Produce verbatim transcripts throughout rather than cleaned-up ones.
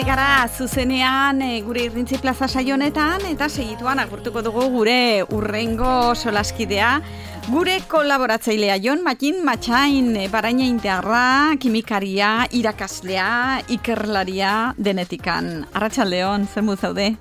gara zuzenean e, gure irrintzi plaza saionetan eta segituan agurtuko dugu gure urrengo solaskidea, gure kolaboratzailea Jon Matin Matxain, e, baraina integrra, kimikaria, irakaslea, ikerlaria denetikan. Arratsaldeon, zer mu zaude?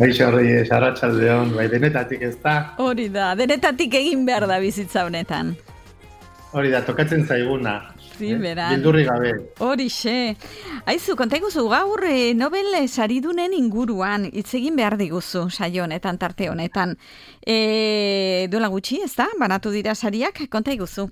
Baixo Reyes, arratsaldeon, bai denetatik ez da? Hori da, denetatik egin behar da bizitza honetan. Hori da, tokatzen zaiguna. Sí, beran. Bildurri gabe. Horixe. Aizu, konta iguzu, gaur e, Nobel saridunen inguruan hitz egin behar diguzu saio honetan, tarte honetan. E, duela gutxi, ez da? Banatu dira sariak, konta iguzu.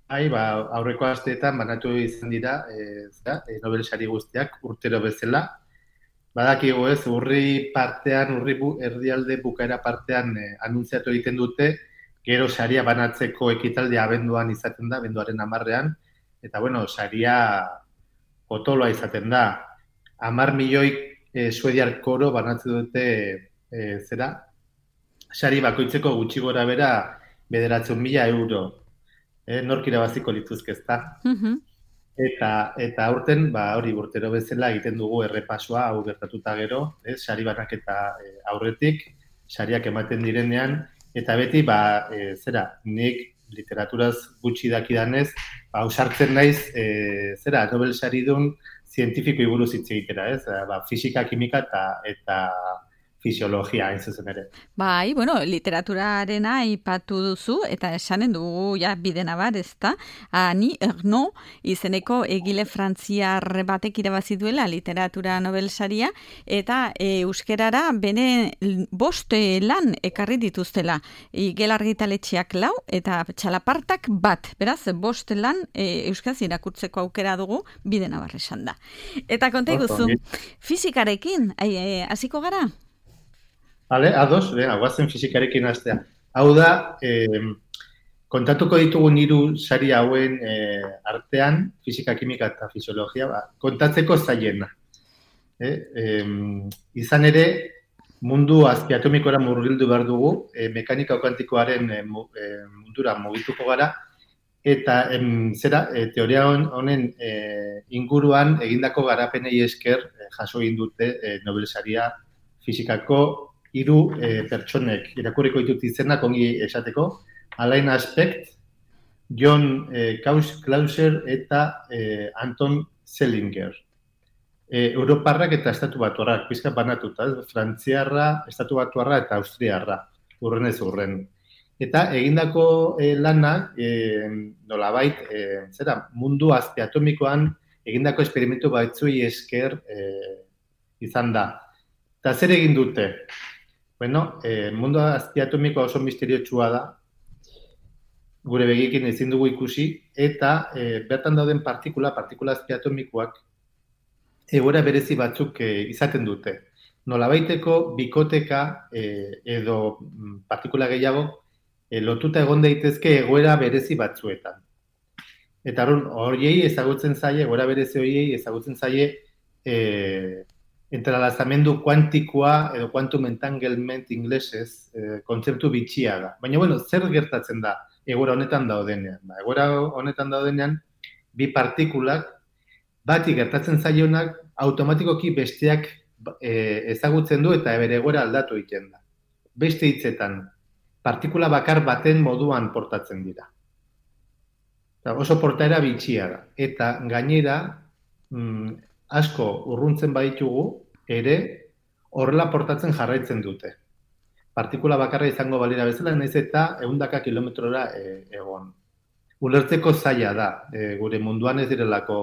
Hai, ba, aurreko asteetan banatu izan dira, e, zera, e, Nobel sari guztiak urtero bezala. Badakigu ez, urri partean, urri bu, erdialde bukaera partean e, anuntziatu egiten dute, gero saria banatzeko ekitaldia abenduan izaten da, abenduaren hamarrean, eta bueno, saria potoloa izaten da. Hamar milioi e, suediar koro banatzen dute e, zera, sari bakoitzeko gutxi gora bera bederatzen mila euro. E, nork irabaziko lituzke ez da. Mhm. Eta, eta aurten, ba, hori urtero bezala egiten dugu errepasoa, hau gertatuta gero, ez, sari banaketa e, aurretik, sariak ematen direnean, eta beti, ba, e, zera, nik literaturaz gutxi dakidanez, ba, ausartzen naiz, e, zera, Nobel saridun zientifiko buruz hitz egitera, ez? Ba, fisika, kimika eta, eta fisiologia, hain zuzen ere. Bai, bueno, literaturarena aipatu duzu, eta esanen dugu, ja, bidena bar, ez da? Ani Ernaux izeneko egile frantziar batek irabazi duela literatura Nobel saria, eta e, euskerara bene bost lan ekarri dituztela. Igel argitaletxeak lau, eta txalapartak bat. Beraz, bost lan e, euskaraz irakurtzeko aukera dugu, bidena bar esan da. Eta konta iguzu, fizikarekin, hasiko gara? Vale, ados, venga, guazen fizikarekin hastea. Hau da, eh, kontatuko ditugun hiru sari hauen eh, artean, fisika, kimika eta fisiologia, ba, kontatzeko zailena. Eh, eh, izan ere, mundu azpiatomikora murgildu behar dugu, eh, mekanika kuantikoaren eh, mundura mugituko gara, eta em, zera, eh, teoria honen eh, inguruan egindako garapenei esker eh, jaso egin dute eh, Nobel saria fizikako hiru e, pertsonek, irakurriko ditut izenak ongi esateko, Alain Aspect, John e, Clauser eta e, Anton Selinger. E, Europarrak eta estatu batuarrak, pizka banatuta, frantziarra, estatu batuarra eta austriarra, urren ez urren. Eta egindako e, lanak, e, nolabait, e, zera, mundu azpiatomikoan egindako esperimentu batzuei esker e, izan da. Eta zer egin dute? Bueno, eh, mundu azpiatomikoa oso misteriotsua da, gure begiekin ezin dugu ikusi, eta eh, bertan dauden partikula, partikula azpiatomikoak, egoera berezi batzuk eh, izaten dute. Nolabaiteko bikoteka eh, edo partikula gehiago eh, lotuta egon daitezke egoera berezi batzuetan. Eta horiei ezagutzen zaie, egoera berezi horiei ezagutzen zaie eh, entrelazamendu kuantikoa edo quantum entanglement inglesez eh, kontzeptu bitxia da. Baina, bueno, zer gertatzen da egoera honetan daudenean? Ba, egoera honetan daudenean, bi partikulak, bati gertatzen zaionak, automatikoki besteak eh, ezagutzen du eta bere egoera aldatu egiten da. Beste hitzetan, partikula bakar baten moduan portatzen dira. Eta oso portaera bitxia da. Eta gainera, mm, asko urruntzen baditugu, ere horrela portatzen jarraitzen dute. Partikula bakarra izango balira bezala, naiz eta ehundaka kilometrora e, egon. Ulertzeko zaila da, e, gure munduan ez direlako,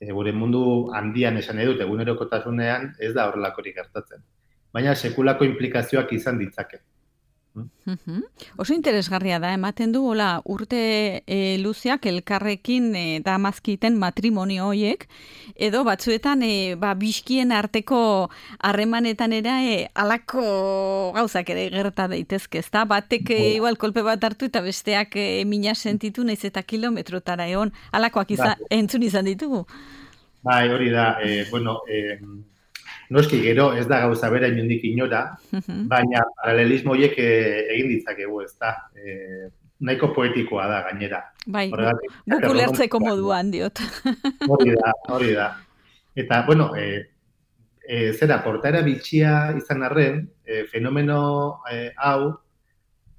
e, gure mundu handian esan edut, egunerokotasunean ez da horrelakorik gertatzen. Baina sekulako implikazioak izan ditzake. Mm-hmm. Oso interesgarria da, ematen du, hola, urte e, luzeak elkarrekin e, da mazkiten matrimonio hoiek, edo batzuetan e, ba, biskien arteko harremanetan era e, alako gauzak ere gerta daitezke, ezta? Batek e, igual kolpe bat hartu eta besteak e, mina sentitu naiz eta kilometrotara egon, alakoak izan, entzun izan ditugu. Bai, hori da, e, bueno, e, noski gero ez da gauza bera inondik inora, baina paralelismo horiek egin ditzakegu, ez da. E, nahiko poetikoa da gainera. Bai, guk ulertzeko moduan diot. Hori da, hori da. Eta, bueno, e, e, zera, portaera bitxia izan arren, e, fenomeno e, hau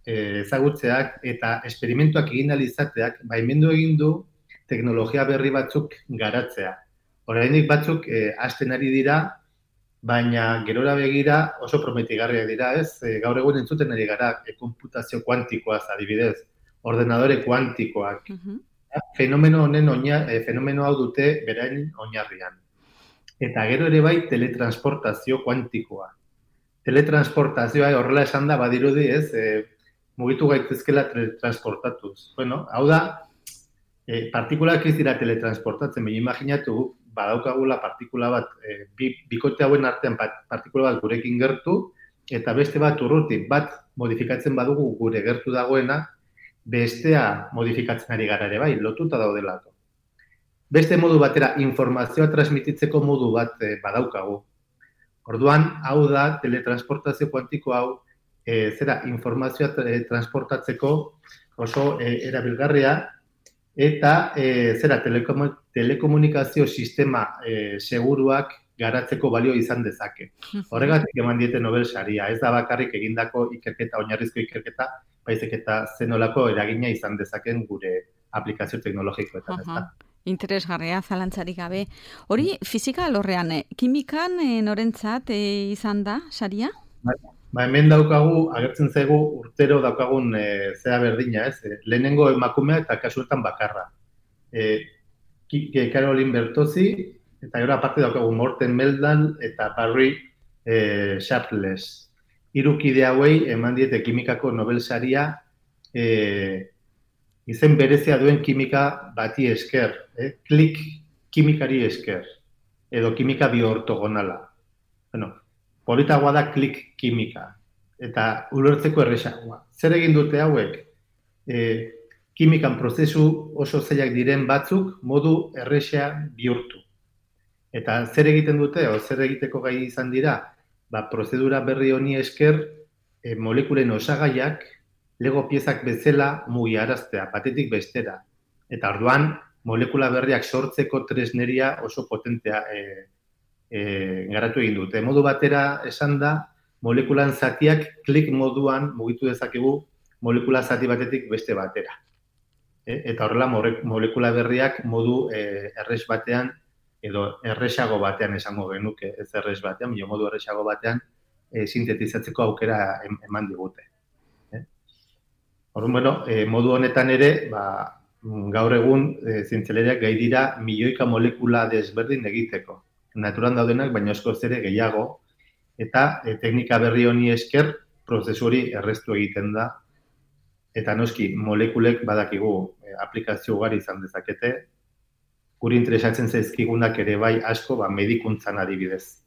e, ezagutzeak eta esperimentuak egin izateak baimendu egin du teknologia berri batzuk garatzea. Oraindik batzuk e, hasten ari dira, baina gerora begira oso prometigarriak dira, ez? E, gaur egun entzuten ari gara e, konputazio kuantikoaz adibidez, ordenadore kuantikoak. Uh-huh. Fenomeno honen oina, e, fenomeno hau dute berain oinarrian. Eta gero ere bai teletransportazio kuantikoa. Teletransportazioa horrela esan da badirudi, ez? E, mugitu gaitezkela teletransportatuz. Bueno, hau da, e, partikulak ez dira teletransportatzen, baina imaginatu badaukagula partikula bat, e, bi, bikote hauen artean partikula bat gurekin gertu, eta beste bat urruti, bat modifikatzen badugu gure gertu dagoena, bestea modifikatzen ari gara ere bai, lotuta daudelako. Beste modu batera, informazioa transmititzeko modu bat e, badaukagu. Orduan, hau da, teletransportazio kuantiko hau, e, zera, informazioa e, transportatzeko oso e, erabilgarria, eta e, zera, telekom, telekomunikazio sistema e, seguruak garatzeko balio izan dezake. Horregatik eman diete Nobel saria, ez da bakarrik egindako ikerketa, oinarrizko ikerketa, baizik eta zenolako eragina izan dezaken gure aplikazio teknologikoetan, ez da. Interesgarria, zalantzarik gabe. Hori, fizika alorrean, kimikan e, norentzat e, izan da, saria? Ba, ba, hemen daukagu, agertzen zaigu, urtero daukagun e, zera berdina, ez? E, lehenengo emakumea eta kasuetan bakarra. E, Caroline Bertozzi, eta gero aparte daukagu Morten Meldal eta Barry e, Sharpless. Hiru kide hauei eman diete kimikako Nobel saria, e, izen berezia duen kimika bati esker, eh? Klik kimikari esker, edo kimika bioortogonala. Bueno, politagoa da klik kimika, eta ulertzeko erresagoa. Zer egin dute hauek? E, kimikan prozesu oso zailak diren batzuk modu erresa bihurtu. Eta zer egiten dute, o zer egiteko gai izan dira? Ba, prozedura berri honi esker, e, molekulen osagaiak, Lego piezak bezala mugiaraztea, batetik bestera. Eta orduan, molekula berriak sortzeko tresneria oso potentea e, e, garatu egin dute. Modu batera esan da, molekulan zatiak klik moduan mugitu dezakegu molekula zati batetik beste batera. E, eta horrela, molekula berriak modu e, erres batean, edo erresago batean esango genuke, ez erres batean, bio modu erresago batean e, sintetizatzeko aukera eman digute. Orduan, bueno, e, modu honetan ere, ba, gaur egun e, zientzialariak gai dira milioika molekula desberdin egiteko. Naturan daudenak, baina askoz ere gehiago, eta e, teknika berri honi esker prozesu hori erreztu egiten da. Eta noski, molekulek badakigu e, aplikazio ugari izan dezakete, guri interesatzen zaizkigunak ere bai asko ba, medikuntzan adibidez.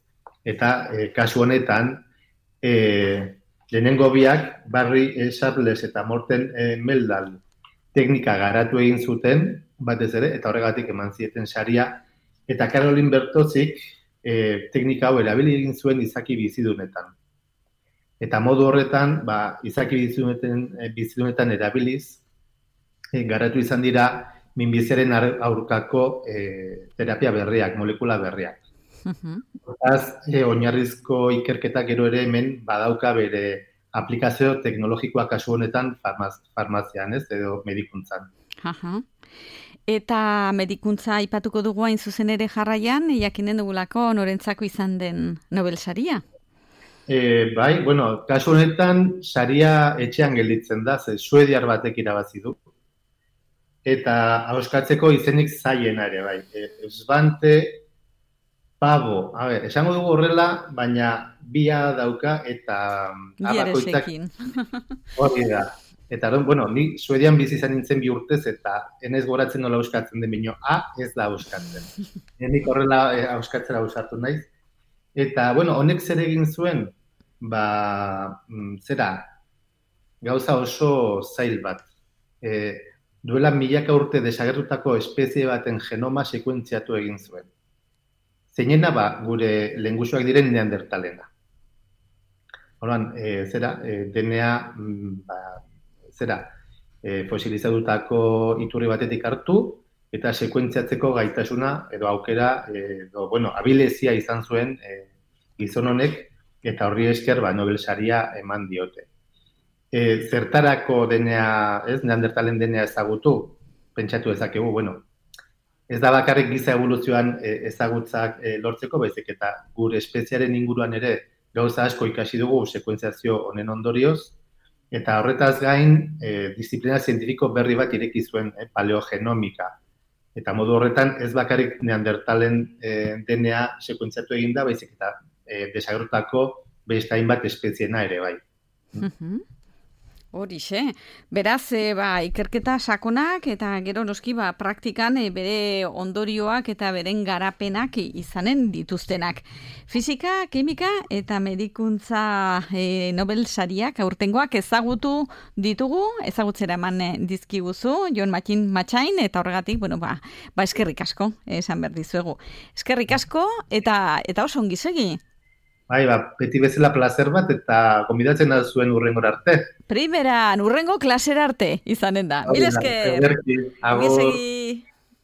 Eta e, kasu honetan, e, lehenengo biak, Barry Sharpless eta Morten e, Meldal teknika garatu egin zuten, batez ere, eta horregatik eman zieten saria, eta Caroline Bertozzik e, teknika hau erabili egin zuen izaki bizidunetan. Eta modu horretan, ba, izaki bizidunetan, e, bizidunetan erabiliz, e, garatu izan dira minbiziaren aurkako e, terapia berriak, molekula berriak. Hortaz, e, oinarrizko ikerketak gero ere hemen badauka bere aplikazio teknologikoa kasu honetan farmaz, farmazian, ez, edo medikuntzan. Aha. Eta medikuntza aipatuko dugu hain zuzen ere jarraian, jakinen dugulako norentzako izan den Nobel saria? E, bai, bueno, kasu honetan saria etxean gelditzen da, ze suediar batek irabazi du. Eta ahoskatzeko izenik zaiena ere, bai. E, Svante Pavo, a ver, esango dugu horrela, baina bia dauka eta abakoitzak hori da. Eta, bueno, ni Suedian bizi izan nintzen bi urtez eta enez goratzen nola euskatzen den bino, A ez da euskatzen. Nik horrela euskatzera ausartu naiz. Eta, bueno, honek zer egin zuen, ba, zera, gauza oso zail bat. E, duela milaka urte desagertutako espezie baten genoma sekuentziatu egin zuen. Zeinena, ba, gure lengusuak diren neandertalena. Horban, e, zera, e, D N A, ba, zera, e, fosilizatutako iturri batetik hartu, eta sekuentziatzeko gaitasuna edo aukera, edo, bueno, abilezia izan zuen e, gizon honek, eta horri esker ba, Nobel saria eman diote. E, zertarako denea, ez, neandertalen denea ezagutu, pentsatu ezakegu, bueno, ez da bakarrik giza evoluzioan e, ezagutzak e, lortzeko, baizik eta gure espeziaren inguruan ere gauza asko ikasi dugu sekuentziazio honen ondorioz, eta horretaz gain e, disiplina zientifiko berri bat ireki zuen e, paleogenomika. Eta modu horretan ez bakarrik neandertalen e, D N A sekuentziatu eginda, baizik eta e, desagertutako beste hainbat espeziena ere bai. Mm-hmm. Horixe, beraz, e, ba, ikerketa sakonak eta gero noski ba, praktikan e, bere ondorioak eta beren garapenak izanen dituztenak. Fisika, kimika eta medikuntza e, Nobel sariak aurtengoak ezagutu ditugu, ezagutzera eman dizkiguzu, Jon Martin Matxain, eta horregatik, bueno, ba, ba eskerrik asko, esan behar dizuegu. Eskerrik asko eta, eta oso ongi segi. Bai, ba, beti bezala placer bat eta konbidatzen da zuen urrengor arte. Primeran, urrengo klasera arte izanen da. Mil esker. Agur.